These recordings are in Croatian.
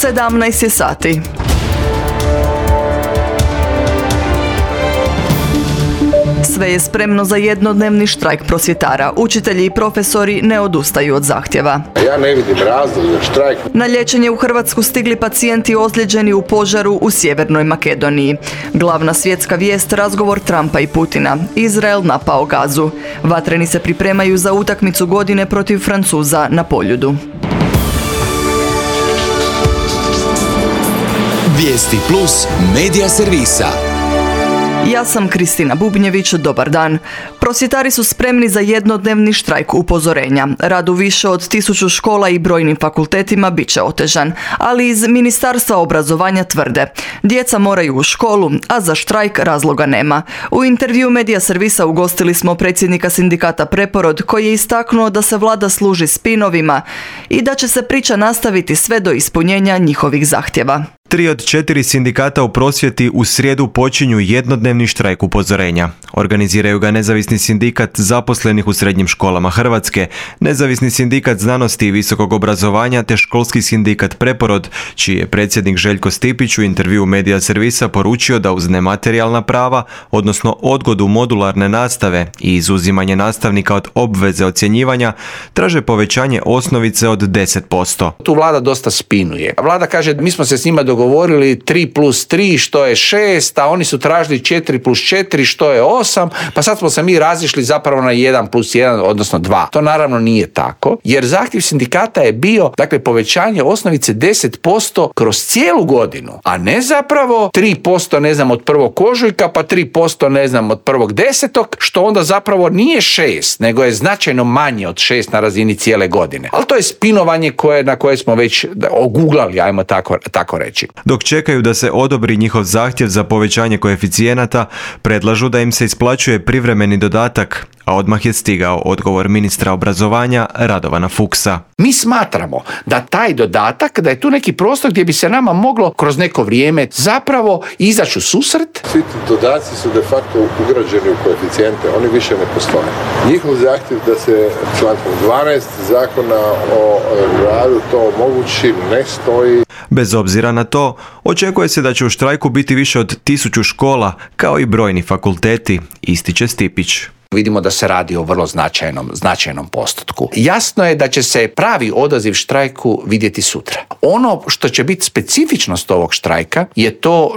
17 je sati. Sve je spremno za jednodnevni štrajk prosvjetara. Učitelji i profesori ne odustaju od zahtjeva. Ja ne vidim razlog za štrajk. Na liječenje u Hrvatsku stigli pacijenti ozlijeđeni u požaru u Sjevernoj Makedoniji. Glavna svjetska vijest, razgovor Trumpa i Putina. Izrael napao Gazu. Vatreni se pripremaju za utakmicu godine protiv Francuza na Poljudu. Vijesti plus medija servisa. Ja sam Kristina Bubnjević, dobar dan. Prosvjetari su spremni za jednodnevni štrajk upozorenja. Rad u više od 1000 škola i brojnim fakultetima bit će otežan, ali iz Ministarstva obrazovanja tvrde: djeca moraju u školu, a za štrajk razloga nema. U intervju medija servisa ugostili smo predsjednika sindikata Preporod, koji je istaknuo da se vlada služi spinovima i da će se priča nastaviti sve do ispunjenja njihovih zahtjeva. 3 od 4 sindikata u prosvjeti u srijedu počinju jednodnevni štrajk upozorenja. Organiziraju ga Nezavisni sindikat zaposlenih u srednjim školama Hrvatske, Nezavisni sindikat znanosti i visokog obrazovanja te Školski sindikat Preporod, čiji je predsjednik Željko Stipić u intervjuu medija servisa poručio da uz nematerijalna prava, odnosno odgodu modularne nastave i izuzimanje nastavnika od obveze ocjenjivanja, traže povećanje osnovice od 10%. Tu vlada dosta spinuje. Vlada kaže, mi smo se s njima dogovorili 3+3 što je 6, a oni su tražili 4+4 što je 8, pa sad smo se mi razišli zapravo na 1+1, odnosno 2. To naravno nije tako, jer zahtjev sindikata je bio, dakle, povećanje osnovice 10% kroz cijelu godinu, a ne zapravo 3%, ne znam, od 1. ožujka, pa 3%, ne znam, od 1.10., što onda zapravo nije 6, nego je značajno manje od 6 na razini cijele godine. Ali to je spinovanje na koje smo već oguglali, ajmo tako reći. Dok čekaju da se odobri njihov zahtjev za povećanje koeficijenata, predlažu da im se isplaćuje privremeni dodatak, a odmah je stigao odgovor ministra obrazovanja Radovana Fuchsa. Mi smatramo da taj dodatak, da je tu neki prostor gdje bi se nama moglo kroz neko vrijeme zapravo izaći u susret. Svi ti dodaci su de facto ugrađeni u koeficijente, oni više ne postoje. Njihov zahtjev da se člankom 12 zakona o radu to omogući ne stoji. Bez obzira na to, očekuje se da će u štrajku biti više od 1000 škola, kao i brojni fakulteti, ističe Stipić. Vidimo da se radi o vrlo značajnom postotku. Jasno je da će se pravi odaziv štrajku vidjeti sutra. Ono što će biti specifičnost ovog štrajka je to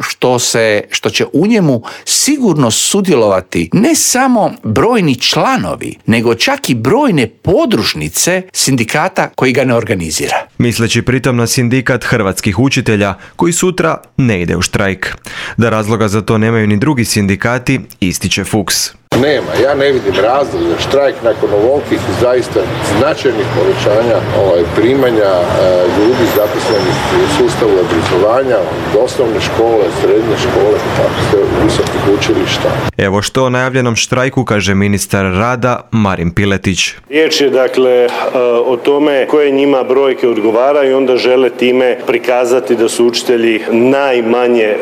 što će u njemu sigurno sudjelovati ne samo brojni članovi, nego čak i brojne podružnice sindikata koji ga ne organizira. Misleći pritom na sindikat hrvatskih učitelja, koji sutra ne ide u štrajk. Da razloga za to nemaju ni drugi sindikati, ističe Fuchs. Nema, ja ne vidim razlog za štrajk nakon ovolikih zaista značajnih povećanja primanja ljudi zaposlenih u sustavu obrazovanja, od osnovne škole, srednje škole, tako visokih učilišta. Evo što o najavljenom štrajku kaže ministar rada Marin Piletić. Riječ je dakle o tome koje njima brojke odgovaraju i onda žele time prikazati da su učitelji najmanje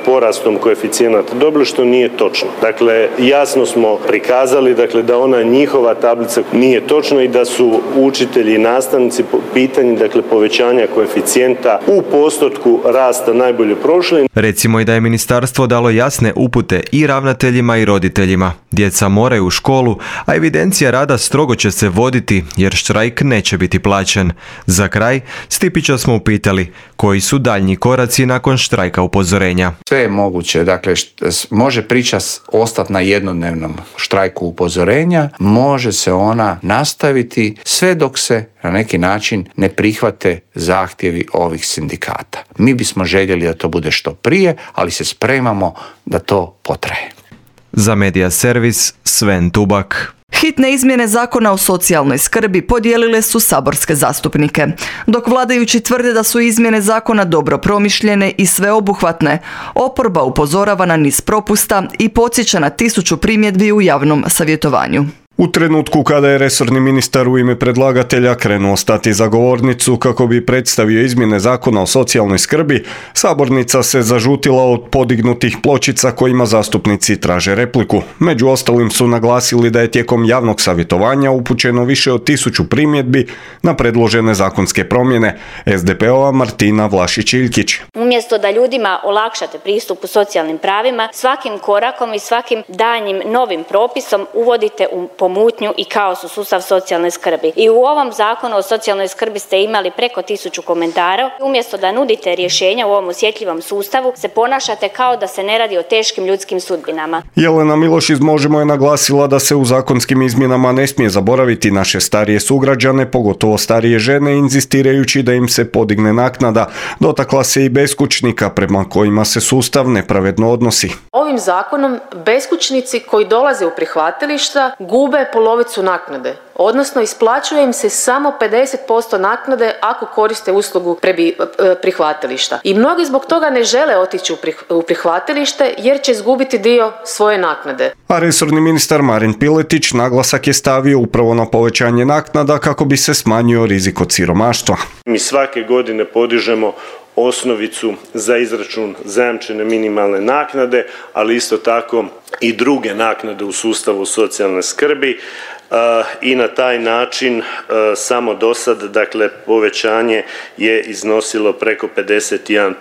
porastom koeficijenata dobili, što nije točno. Dakle, jasno smo prikazali da ona njihova tablica nije točna i da su učitelji i nastavnici po pitanju povećanja koeficijenta u postotku rasta najbolje prošli. Recimo i da je ministarstvo dalo jasne upute i ravnateljima i roditeljima. Djeca moraju u školu, a evidencija rada strogo će se voditi jer štrajk neće biti plaćen. Za kraj, Stipića smo upitali koji su daljnji koraci nakon štrajka upozorenja. Sve je moguće, može priča ostati na jednodnevnom štrajku upozorenja, može se ona nastaviti sve dok se na neki način ne prihvate zahtjevi ovih sindikata. Mi bismo željeli da to bude što prije, ali se spremamo da to potraje. Za Medija servis Sven Tubak. Hitne izmjene zakona o socijalnoj skrbi podijelile su saborske zastupnike. Dok vladajući tvrde da su izmjene zakona dobro promišljene i sveobuhvatne, oporba upozorava na niz propusta i podsjeća na 1000 primjedbi u javnom savjetovanju. U trenutku kada je resorni ministar u ime predlagatelja krenuo stati za govornicu kako bi predstavio izmjene zakona o socijalnoj skrbi, sabornica se zažutila od podignutih pločica kojima zastupnici traže repliku. Među ostalim su naglasili da je tijekom javnog savjetovanja upućeno više od 1000 primjedbi na predložene zakonske promjene. SDP-ova Martina Vlašić-Iljkić. Umjesto da ljudima olakšate pristup u socijalnim pravima, svakim korakom i svakim daljnjim novim propisom uvodite u pomutnju i kaos u sustav socijalne skrbi. I u ovom zakonu o socijalnoj skrbi ste imali preko 1000 komentara. Umjesto da nudite rješenja u ovom osjetljivom sustavu, se ponašate kao da se ne radi o teškim ljudskim sudbinama. Jelena Miloš iz Možemo je naglasila da se u zakonskim izmjenama ne smije zaboraviti naše starije sugrađane, pogotovo starije žene, inzistirajući da im se podigne naknada. Dotakla se i beskućnika prema kojima se sustav nepravedno odnosi. Ovim zakonom beskućnici koji dolaze u prihvatilišta gube polovicu naknade, odnosno isplaćuje im se samo 50% naknade ako koriste uslugu prihvatilišta. I mnogi zbog toga ne žele otići u prihvatilište jer će izgubiti dio svoje naknade. A resorni ministar Marin Piletić naglasak je stavio upravo na povećanje naknada kako bi se smanjio rizik od siromaštva. Mi svake godine podižemo osnovicu za izračun zajamčene minimalne naknade, ali isto tako i druge naknade u sustavu socijalne skrbi i na taj način samo do sad, dakle, povećanje je iznosilo preko 51%.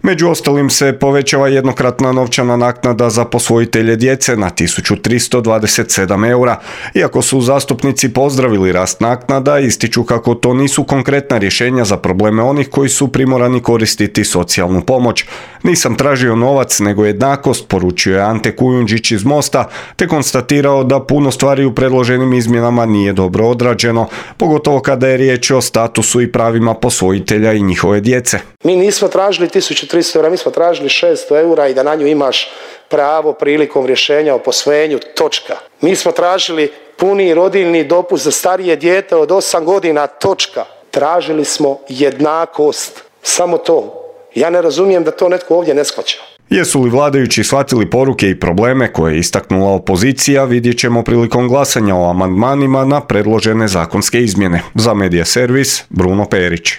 Među ostalim se povećava jednokratna novčana naknada za posvojitelje djece na 1327 eura. Iako su zastupnici pozdravili rast naknada, ističu kako to nisu konkretna rješenja za probleme onih koji su primorani koristiti socijalnu pomoć. Nisam tražio novac, nego jednakost, poručio je Ante Kujundžić iz Mosta, te konstatirao da puno stvari u predloženim izmjenama nije dobro odrađeno, pogotovo kada je riječ o statusu i pravima posvojitelja i njihove djece. Mi nismo tražili 1300 eura, mi smo tražili 600 eura i da na nju imaš pravo prilikom rješenja o posvojenju, točka. Mi smo tražili puni rodiljni dopust za starije dijete od 8 godina, točka. Tražili smo jednakost, samo to. Ja ne razumijem da to netko ovdje ne shvaća. Jesu li vladajući shvatili poruke i probleme koje je istaknula opozicija, vidjet ćemo prilikom glasanja o amandmanima na predložene zakonske izmjene. Za Medija Servis, Bruno Perić.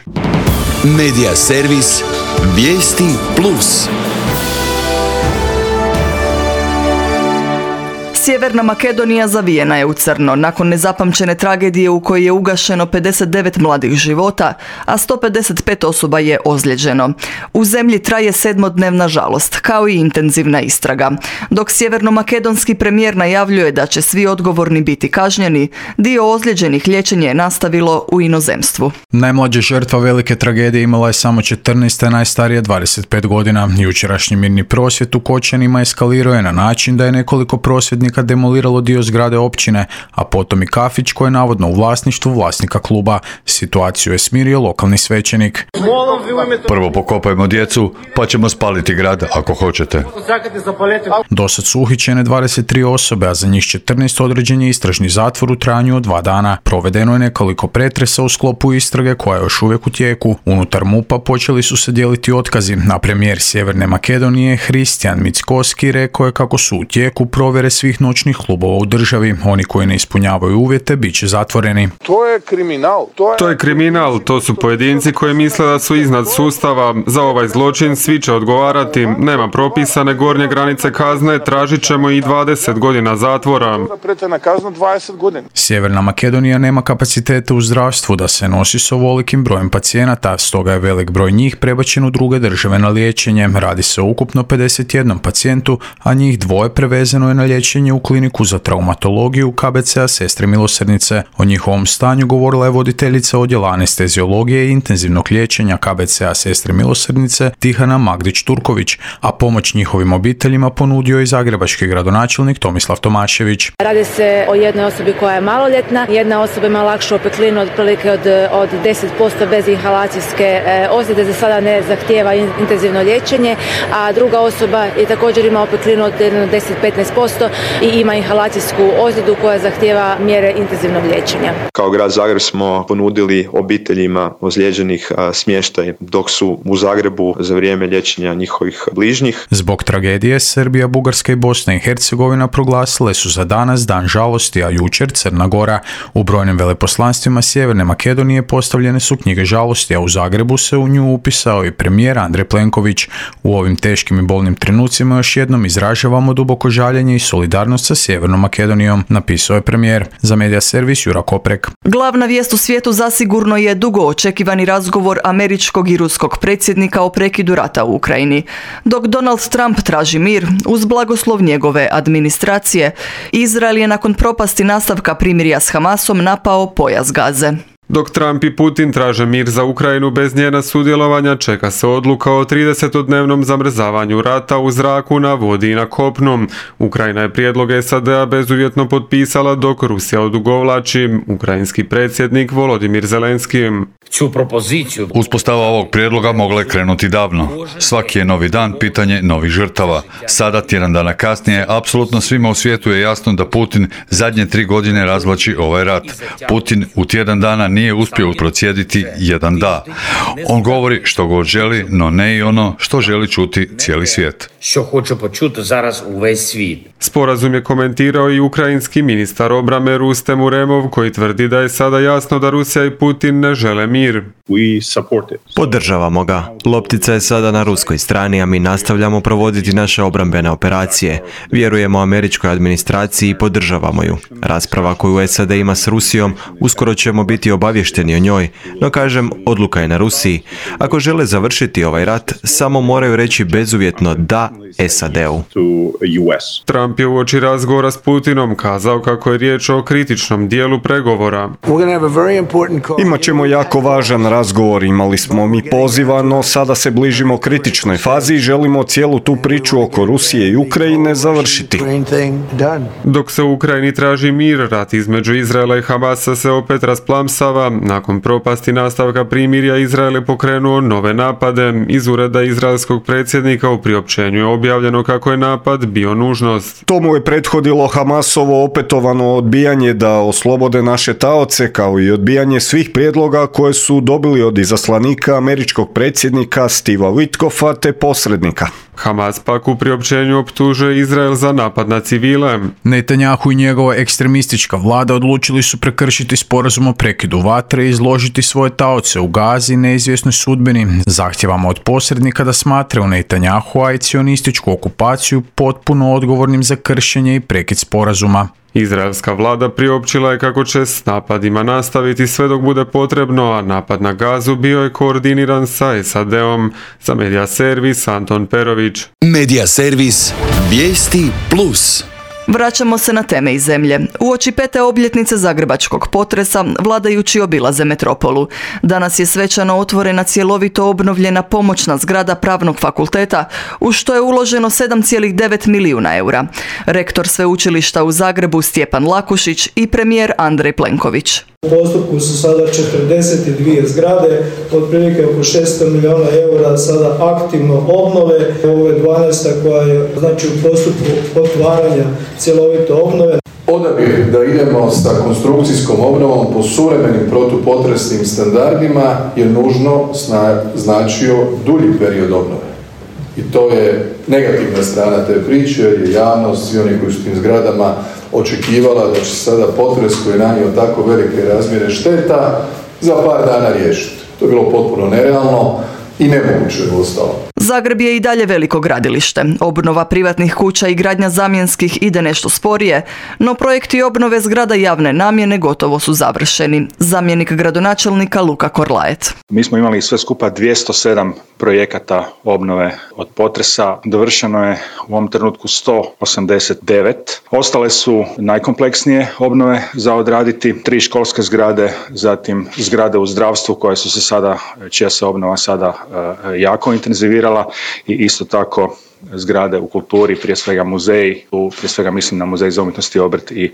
Medija Servis, vijesti plus. Sjeverna Makedonija zavijena je u crno nakon nezapamćene tragedije u kojoj je ugašeno 59 mladih života, a 155 osoba je ozlijeđeno. U zemlji traje 7-dnevna žalost, kao i intenzivna istraga. Dok sjevernomakedonski premijer najavljuje da će svi odgovorni biti kažnjeni, dio ozlijeđenih liječenje je nastavilo u inozemstvu. Najmlađa žrtva velike tragedije imala je samo 14, a najstarija 25 godina. Jučerašnji mirni prosvjed u Kočanima eskalirao je na način da je nekoliko prosvjednika demoliralo dio zgrade općine, a potom i kafić koji je navodno u vlasništvu vlasnika kluba. Situaciju je smirio lokalni svećenik. Prvo pokopajmo djecu, pa ćemo spaliti grad ako hoćete. Dosad su uhićene 23 osobe, a za njih 14 određen je istražni zatvor u trajanju od 2 dana. Provedeno je nekoliko pretresa u sklopu istrage koja je još uvijek u tijeku. Unutar MUP-a počeli su se dijeliti otkazi, a premijer Sjeverne Makedonije Hristijan Mickoski rekao je kako su u tijeku provjere svih noćnih klubova u državi. Oni koji ne ispunjavaju uvjete bit će zatvoreni. To je kriminal. To je kriminal, to su pojedinci koji misle da su iznad sustava. Za ovaj zločin svi će odgovarati. Nema propisane gornje granice kazne, tražit ćemo i 20 godina zatvora. Sjeverna Makedonija nema kapacitete u zdravstvu da se nosi s ovolikim brojem pacijenata, stoga je velik broj njih prebačen u druge države na liječenje. Radi se o ukupno 51 pacijentu, a njih 2 prevezeno je na liječenje u kliniku za traumatologiju KBC-a Sestre Milosrdnice. O njihovom stanju govorila je voditeljica odjela anesteziologije i intenzivnog liječenja KBC-a Sestre Milosrdnice Tihana Magdić-Turković, a pomoć njihovim obiteljima ponudio i zagrebački gradonačelnik Tomislav Tomašević. Radi se o jednoj osobi koja je maloljetna, jedna osoba ima lakšu opeklinu otprilike od 10% bez inhalacijske ozljede, za sada ne zahtijeva intenzivno liječenje, a druga osoba je također ima opeklinu od 10-15%, i ima inhalacijsku ozljedu koja zahtijeva mjere intenzivnog liječenja. Kao grad Zagreb smo ponudili obiteljima ozlijeđenih smještaj dok su u Zagrebu za vrijeme liječenja njihovih bližnjih. Zbog tragedije Srbija, Bugarska i Bosna i Hercegovina proglasile su za danas dan žalosti, a jučer Crna Gora. U brojnim veleposlanstvima Sjeverne Makedonije postavljene su knjige žalosti, a u Zagrebu se u nju upisao i premijer Andrej Plenković. U ovim teškim i bolnim trenucima još jednom izražavamo duboko žaljenje i solidarnost sa Sjevernom Makedonijom, napisao je premijer. Za Medija servis Jura Koprek. Glavna vijest u svijetu zasigurno je dugo očekivani razgovor američkog i ruskog predsjednika o prekidu rata u Ukrajini. Dok Donald Trump traži mir, uz blagoslov njegove administracije, Izrael je nakon propasti nastavka primirja s Hamasom napao pojas Gaze. Dok Trump i Putin traže mir za Ukrajinu bez njena sudjelovanja, čeka se odluka o 30-dnevnom zamrzavanju rata u zraku, na vodi i na kopnu. Ukrajina je prijedlog SAD-a bezuvjetno potpisala, dok Rusija odugovlači. Ukrajinski predsjednik Volodimir Zelenski. Uspostava ovog prijedloga mogla je krenuti davno. Svaki je novi dan pitanje novih žrtava. Sada, tjedan dana kasnije, apsolutno svima u svijetu je jasno da Putin zadnje 3 godine razvlači ovaj rat. Putin u tjedan dana nije uspio procijediti jedan da. On govori što god želi, no ne i ono što želi čuti cijeli svijet. Sporazum je komentirao i ukrajinski ministar obrane Rustem Uremov, koji tvrdi da je sada jasno da Rusija i Putin ne žele mir. Podržavamo ga. Loptica je sada na ruskoj strani, a mi nastavljamo provoditi naše obrambene operacije. Vjerujemo američkoj administraciji i podržavamo ju. Rasprava koju SAD ima s Rusijom, uskoro ćemo biti obavješteni o njoj, no kažem, odluka je na Rusiji. Ako žele završiti ovaj rat, samo moraju reći bezuvjetno da SAD-u. Trump je uoči razgovora s Putinom kazao kako je riječ o kritičnom dijelu pregovora. Imat ćemo jako važan razgovor, imali smo mi poziva, no sada se bližimo kritičnoj fazi i želimo cijelu tu priču oko Rusije i Ukrajine završiti. Dok se u Ukrajini traži mir, rat između Izraela i Hamasa se opet rasplamsava. Nakon propasti nastavka primirja, Izrael je pokrenuo nove napade. Iz ureda izraelskog predsjednika u priopćenju je objavljeno kako je napad bio nužnost. Tomu je prethodilo Hamasovo opetovano odbijanje da oslobode naše taoce, kao i odbijanje svih prijedloga koje su dobili od izaslanika američkog predsjednika Steva Witkoffa te posrednika. Hamas pak u priopćenju optužuje Izrael za napad na civile. Netanjahu i njegova ekstremistička vlada odlučili su prekršiti sporazum o prekidu vatre i izložiti svoje taoce u Gazi neizvjesnoj sudbini. Zahtijevamo od posrednika da smatraju Netanjahua i cionističku okupaciju potpuno odgovornim za kršenje i prekid sporazuma. Izraelska vlada priopćila je kako će s napadima nastaviti sve dok bude potrebno, a napad na Gazu bio je koordiniran sa SAD-om. Za Medija servis Anton Perović. Medija servis Vijesti Plus. Vraćamo se na teme iz zemlje. Uoči 5. obljetnice zagrebačkog potresa, vladajući obilaze metropolu. Danas je svečano otvorena cjelovito obnovljena pomoćna zgrada Pravnog fakulteta, u što je uloženo 7,9 milijuna eura. Rektor sveučilišta u Zagrebu Stjepan Lakušić i premijer Andrej Plenković. U postupku su sada 42 zgrade, otprilike oko 600 milijuna eura sada aktivno obnove. Ovo je 12. koja je znači u postupku otvaranja cjelovite obnove. Odabir da idemo sa konstrukcijskom obnovom po suvremenim protupotresnim standardima je nužno značio dulji period obnove. I to je negativna strana te priče, jer je javnost, svi oni koji su tim zgradama očekivala da će sada potres koji je nanio tako velike razmjere šteta za par dana riješiti. To je bilo potpuno nerealno i nemoguće je ostalo. Zagreb je i dalje veliko gradilište. Obnova privatnih kuća i gradnja zamjenskih ide nešto sporije, no projekti obnove zgrada javne namjene gotovo su završeni. Zamjenik gradonačelnika Luka Korlajet. Mi smo imali sve skupa 207 projekata obnove od potresa. Dovršeno je u ovom trenutku 189. Ostale su najkompleksnije obnove za odraditi. 3 školske zgrade, zatim zgrade u zdravstvu koje su se sada, čija se obnova sada jako intenzivirala i isto tako zgrade u kulturi, prije svega muzeji, tu prije svega mislim na Muzej za umjetnost i obrt i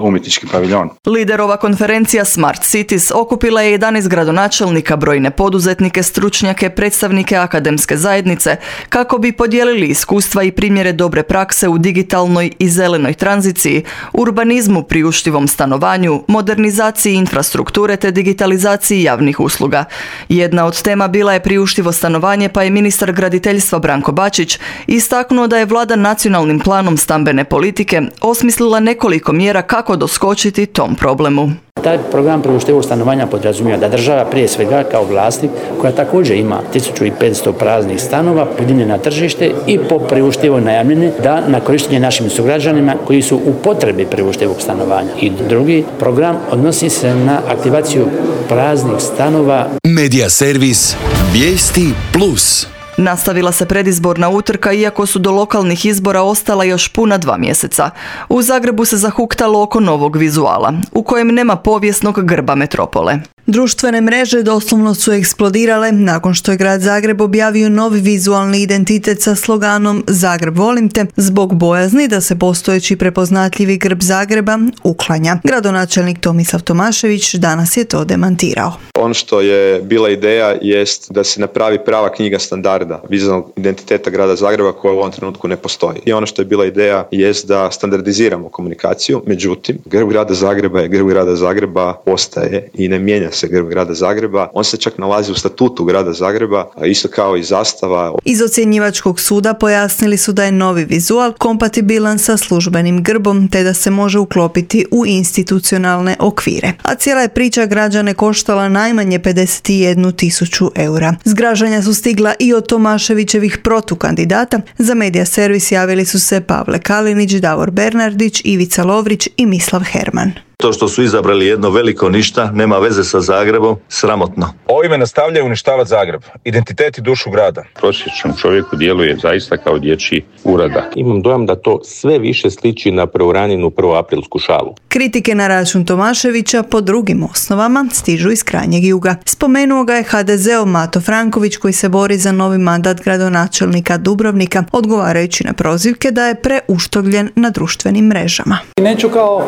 umjetnički paviljon. Liderova konferencija Smart Cities okupila je 11 gradonačelnika, brojne poduzetnike, stručnjake, predstavnike akademske zajednice kako bi podijelili iskustva i primjere dobre prakse u digitalnoj i zelenoj tranziciji, urbanizmu, priuštivom stanovanju, modernizaciji infrastrukture te digitalizaciji javnih usluga. Jedna od tema bila je priuštivo stanovanje, pa je ministar graditeljstva Branko Bačić istaknuo da je vlada nacionalnim planom stambene politike osmislila nekoliko mjera kako doskočiti tom problemu. Taj program priuštivog stanovanja podrazumijeva da država prije svega kao vlasnik, koja također ima 1500 praznih stanova, podigne na tržište i po priuštivoj najamnini da na korištenje našim sugrađanima koji su u potrebi priuštivog stanovanja. I drugi program odnosi se na aktivaciju praznih stanova. Medija servis Vijesti Plus. Nastavila se predizborna utrka, iako su do lokalnih izbora ostala još puna 2 mjeseca. U Zagrebu se zahuktalo oko novog vizuala, u kojem nema povijesnog grba metropole. Društvene mreže doslovno su eksplodirale nakon što je grad Zagreb objavio novi vizualni identitet sa sloganom Zagreb volim te, zbog bojazni da se postojeći prepoznatljivi grb Zagreba uklanja. Gradonačelnik Tomislav Tomašević danas je to demantirao. Ono što je bila ideja jest da se napravi prava knjiga standarda vizualnog identiteta grada Zagreba koja u ovom trenutku ne postoji. I ono što je bila ideja jest da standardiziramo komunikaciju, međutim, grb grada Zagreba je grb grada Zagreba, ostaje i ne mijenja se grb grada Zagreba. On se čak nalazi u statutu grada Zagreba, a isto kao i zastava. Iz ocjenjivačkog suda pojasnili su da je novi vizual kompatibilan sa službenim grbom te da se može uklopiti u institucionalne okvire. A cijela je priča građane koštala najmanje 51.000 eura. Zgražanja su stigla i od Tomaševićevih protukandidata. Za Medija servis javili su se Pavle Kalinić, Davor Bernardić, Ivica Lovrić i Mislav Herman. To što su izabrali jedno veliko ništa, nema veze sa Zagrebom, sramotno. Ovime nastavljaju uništavati Zagreb, identitet i dušu grada. Prosječnom čovjeku djeluje zaista kao dječji uradak. Imam dojam da to sve više sliči na preuranjenu prvoaprilsku šalu. Kritike na račun Tomaševića po drugim osnovama stižu iz krajnjeg juga. Spomenuo ga je HDZ-ov Mato Franković koji se bori za novi mandat gradonačelnika Dubrovnika, odgovarajući na prozivke da je preuštovljen na društvenim mrežama. Neću kao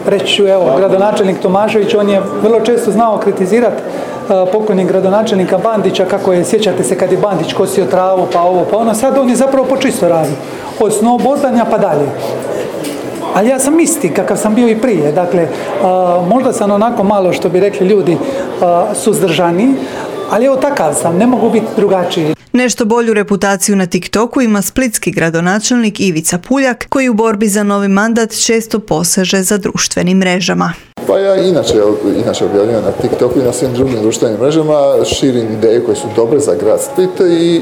reći, evo, gradonačelnik Tomašević, on je vrlo često znao kritizirati pokojnog gradonačelnika Bandića, kako je, sjećate se kad je Bandić kosio travu, pa ovo, pa ono, sad on je zapravo počisto radi. Od snowboardanja pa dalje. Ali ja sam isti kakav sam bio i prije, dakle, možda sam onako malo, što bi rekli ljudi, suzdržani, ali evo takav sam, ne mogu biti drugačiji. Nešto bolju reputaciju na TikToku ima splitski gradonačelnik Ivica Puljak, koji u borbi za novi mandat često poseže za društvenim mrežama. Pa ja inače objavljam na TikToku i na svim drugim društvenim mrežama, širim ideje koje su dobre za grad Split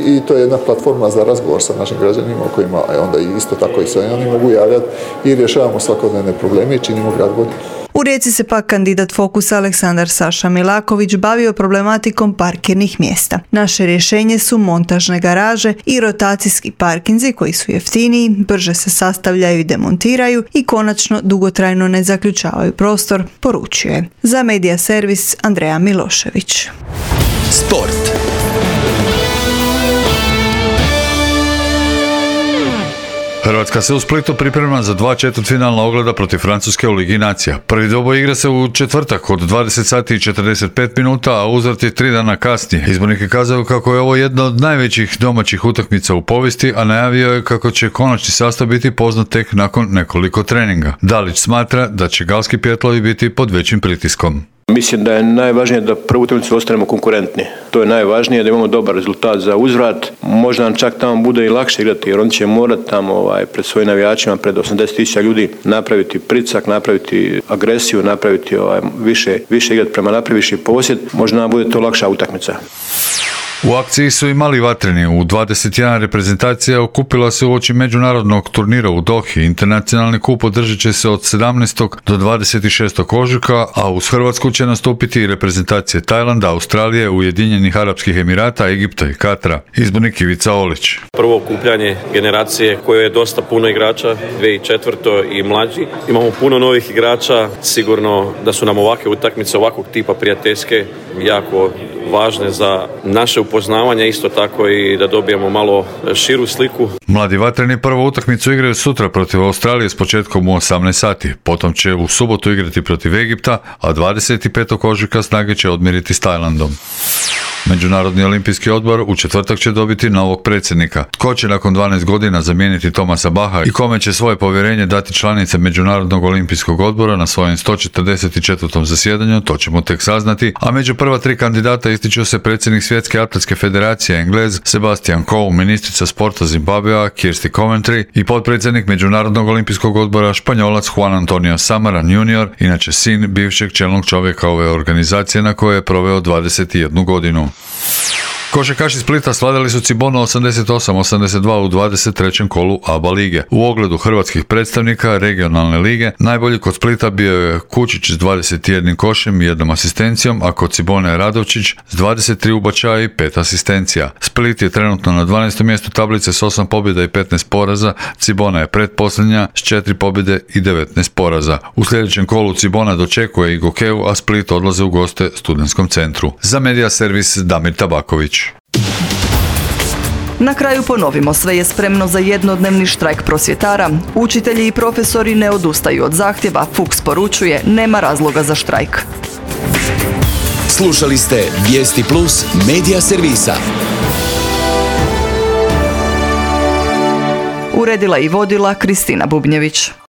i to je jedna platforma za razgovor sa našim građanima o kojima onda isto tako i sve oni mogu javljati i rješavamo svakodnevne probleme i činimo grad boljim. U Rijeci se pak kandidat Fokusa Aleksandar Saša Milaković bavio problematikom parkirnih mjesta. Naše rješenje su montažne garaže i rotacijski parkinzi koji su jeftiniji, brže se sastavljaju i demontiraju i konačno dugotrajno ne zaključavaju prostor, poručio je. Za Medija servis Andreja Milošević. Sport. Hrvatska se u Splitu priprema za 2 četvrtfinalna ogleda protiv Francuske u Ligi nacija. Prvi dvoboj igra se u četvrtak od 20 sati i 45 minuta, a uzvrat je 3 dana kasnije. Izbornik kazao kako je ovo jedna od najvećih domaćih utakmica u povijesti, a najavio je kako će konačni sastav biti poznat tek nakon nekoliko treninga. Dalić smatra da će galski pjetlovi biti pod većim pritiskom. Mislim da je najvažnije da prvu utakmicu ostanemo konkurentni. To je najvažnije, da imamo dobar rezultat za uzvrat. Možda nam čak tamo bude i lakše igrati, jer oni će morati tamo pred svojim navijačima, pred 80.000 ljudi napraviti pricak, napraviti agresiju, napraviti više igrati prema naprijed, viši posjed. Možda nam bude to lakša utakmica. U akciji su i mali vatreni. U 21 reprezentacija okupila se uoči međunarodnog turnira u Dohi. Internacionalni kup održat će se od 17. do 26. ožujka, a uz Hrvatsku će nastupiti i reprezentacije Tajlanda, Australije, Ujedinjenih Arapskih Emirata, Egipta i Katra. Izbornik Ivica Olić. Prvo okupljanje generacije koje je dosta puno igrača, 2004. i mlađi. Imamo puno novih igrača, sigurno da su nam ovakve utakmice ovakvog tipa prijateljske jako važne za naše upoznanje upoznavanja, isto tako i da dobijemo malo širu sliku. Mladi vatreni prvu utakmicu igraju sutra protiv Australije s početkom u 18 sati. Potom će u subotu igrati protiv Egipta, a 25. ožujka snage će odmiriti s Tajlandom. Međunarodni olimpijski odbor u četvrtak će dobiti novog predsjednika. Tko će nakon 12 godina zamijeniti Thomasa Bacha i kome će svoje povjerenje dati članice Međunarodnog olimpijskog odbora na svojem 144. zasjedanju, to ćemo tek saznati, a među prva 3 kandidata ističu se predsjednik Svjetske atletske federacije Englez Sebastian Coe, ministrica sporta Zimbabvea Kirsty Coventry i potpredsjednik Međunarodnog olimpijskog odbora Španjolac Juan Antonio Samaran Jr., inače sin bivšeg čelnog čovjeka ove organizacije na kojoj je proveo 21 godinu. Košarkaši Splita slavili su Cibonu 88-82 u 23. kolu ABA lige. U ogledu hrvatskih predstavnika regionalne lige najbolji kod Splita bio je Kučić s 21 košem i 1 asistencijom, a kod Cibone je Radovčić s 23 ubačaja i 5 asistencija. Split je trenutno na 12. mjestu tablice s 8 pobjeda i 15 poraza, Cibona je pretposljednja s 4 pobjede i 19 poraza. U sljedećem kolu Cibona dočekuje i Gokeju, a Split odlaze u goste Studentskom centru. Za Media Servis Damir Tabaković. Na kraju ponovimo, sve je spremno za jednodnevni štrajk prosvjetara. Učitelji i profesori ne odustaju od zahtjeva, Fuchs poručuje, nema razloga za štrajk. Slušali ste Vijesti Plus Media Servisa. Uredila i vodila Kristina Bubnjević.